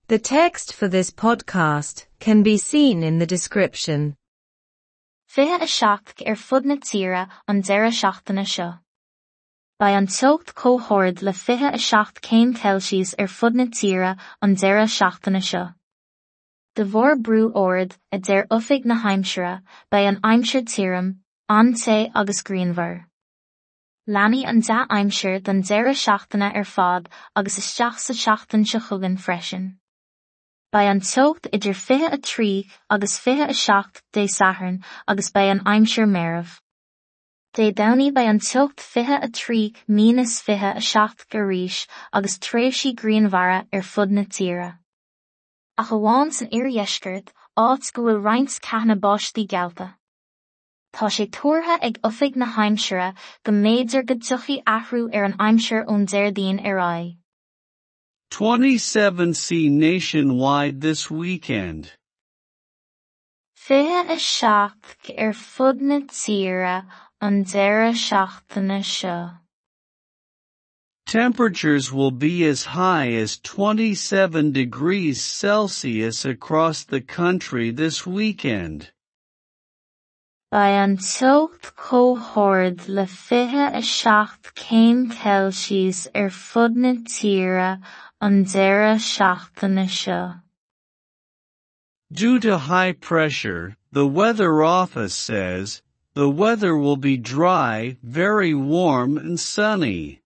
The text for this podcast can be seen in the description. 27 ar fud na tíre an deireadh seachtaine seo. Beidh an teocht chomh hard le 27 céim Celsius ar fud na tíre an deireadh seachtaine seo. De bharr brú ard, a deir Oifig na hAimsire, beidh an aimsir tirim, an-te agus grianmhar. Leanfaidh an dea-aimsir don deireadh seachtaine ar fad agus isteach sa tseachtain seo chugainn freisin. Beidh an teocht idir 23 agus 27 Dé Sathairn agus beidh an aimsir meirbh. Dé Domhnaigh beidh an teocht 23 minus 27 arís agus tréimhsí grianmhara ar fud na tíre. Ach amháin san iardheisceart, áit go bhfuil roinnt ceathanna báistí geallta. Tá sé tuartha ag Oifig na hAimsire go mb'fhéidir go dtiocfaidh athrú ar an aimsir ón Déardaoin ar aghaidh. 27C nationwide this weekend. 27 ar fud na tíre an deireadh seachtaine seo. Temperatures will be as high as 27 degrees Celsius across the country this weekend. Beidh an teocht chomh hard le 27 céim Celsius ar fud na tíre an deireadh seachtaine seo. Due to high pressure, the weather office says, the weather will be dry, very warm and sunny.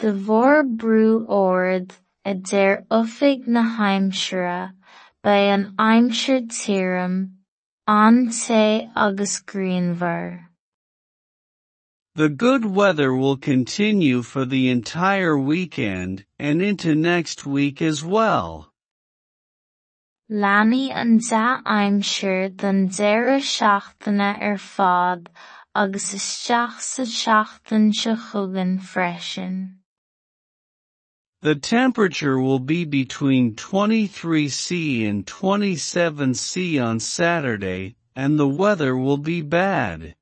De bharr brú ard, a deir Oifig na hAimsire, beidh an aimsir tirim, an-te agus grianmhar. The good weather will continue for the entire weekend and into next week as well. Leanfaidh an dea-aimsir don deireadh seachtaine ar fad agus isteach sa tseachtain seo chugainn freisin. The temperature will be between 23 C and 27 C on Saturday, and the weather will be bad.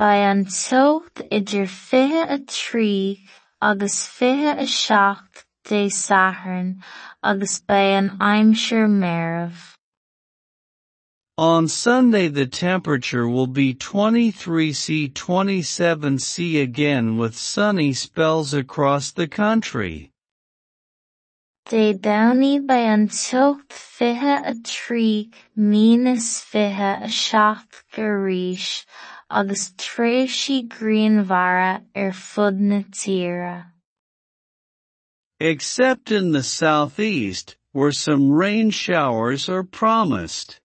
Beidh an teocht idir 23 agus 27 Dé Sathairn agus beidh an aimsir meirbh. On Sunday the temperature will be 23 C 27 C again with sunny spells across the country. Dé Domhnaigh beidh an teocht 23 minus 27 arís agus tréimhsí grianmhara ar fud na tíre. Except in the southeast, where some rain showers are promised.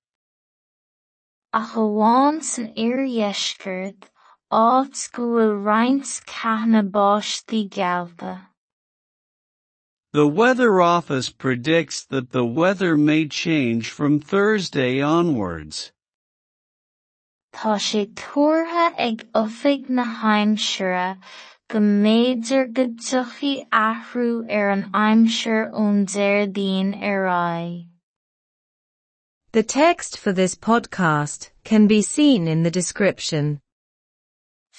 Ach amháin san iardheisceart, áit go bhfuil roinnt ceathanna báistí geallta. The weather office predicts that the weather may change from Thursday onwards. Tá sé tuartha ag Oifig na hAimsire go mb'fhéidir go dtiocfaidh athrú ar an aimsir ón Déardaoin ar aghaidh. The text for this podcast can be seen in the description.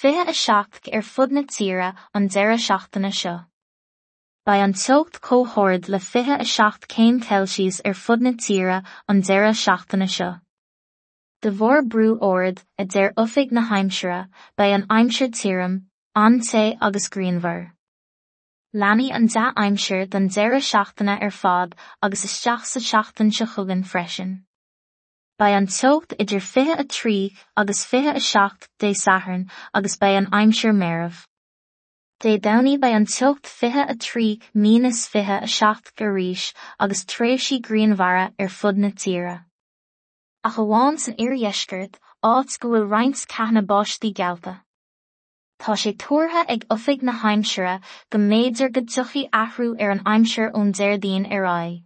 27 ar fud na tíre an deireadh seachtaine seo. Beidh an teocht chomh hard le 27 céim Celsius ar fud na tíre an deireadh seachtaine seo. De bharr brú ard, a deir Oifig na hAimsire, beidh an aimsir tirim, an-te agus grianmhar. Leanfaidh an dea-aimsir don deireadh seachtaine ar fad agus isteach sa tseachtain seo chugainn freisin. Beidh an teocht idir 23 agus 27 Dé Sathairn agus beidh an aimsir meirbh. Dé Domhnaigh beidh an teocht 23 minus 27 arís agus tréimhsí grianmhara ar fud na tíre. Ach amháin san iardheisceart, áit go bhfuil roinnt ceathanna báistí geallta. Tá sé tuartha ag Oifig na hAimsire go mb'fhéidir go dtiocfaidh athrú ar an aimsir ón Déardaoin ar aghaidh.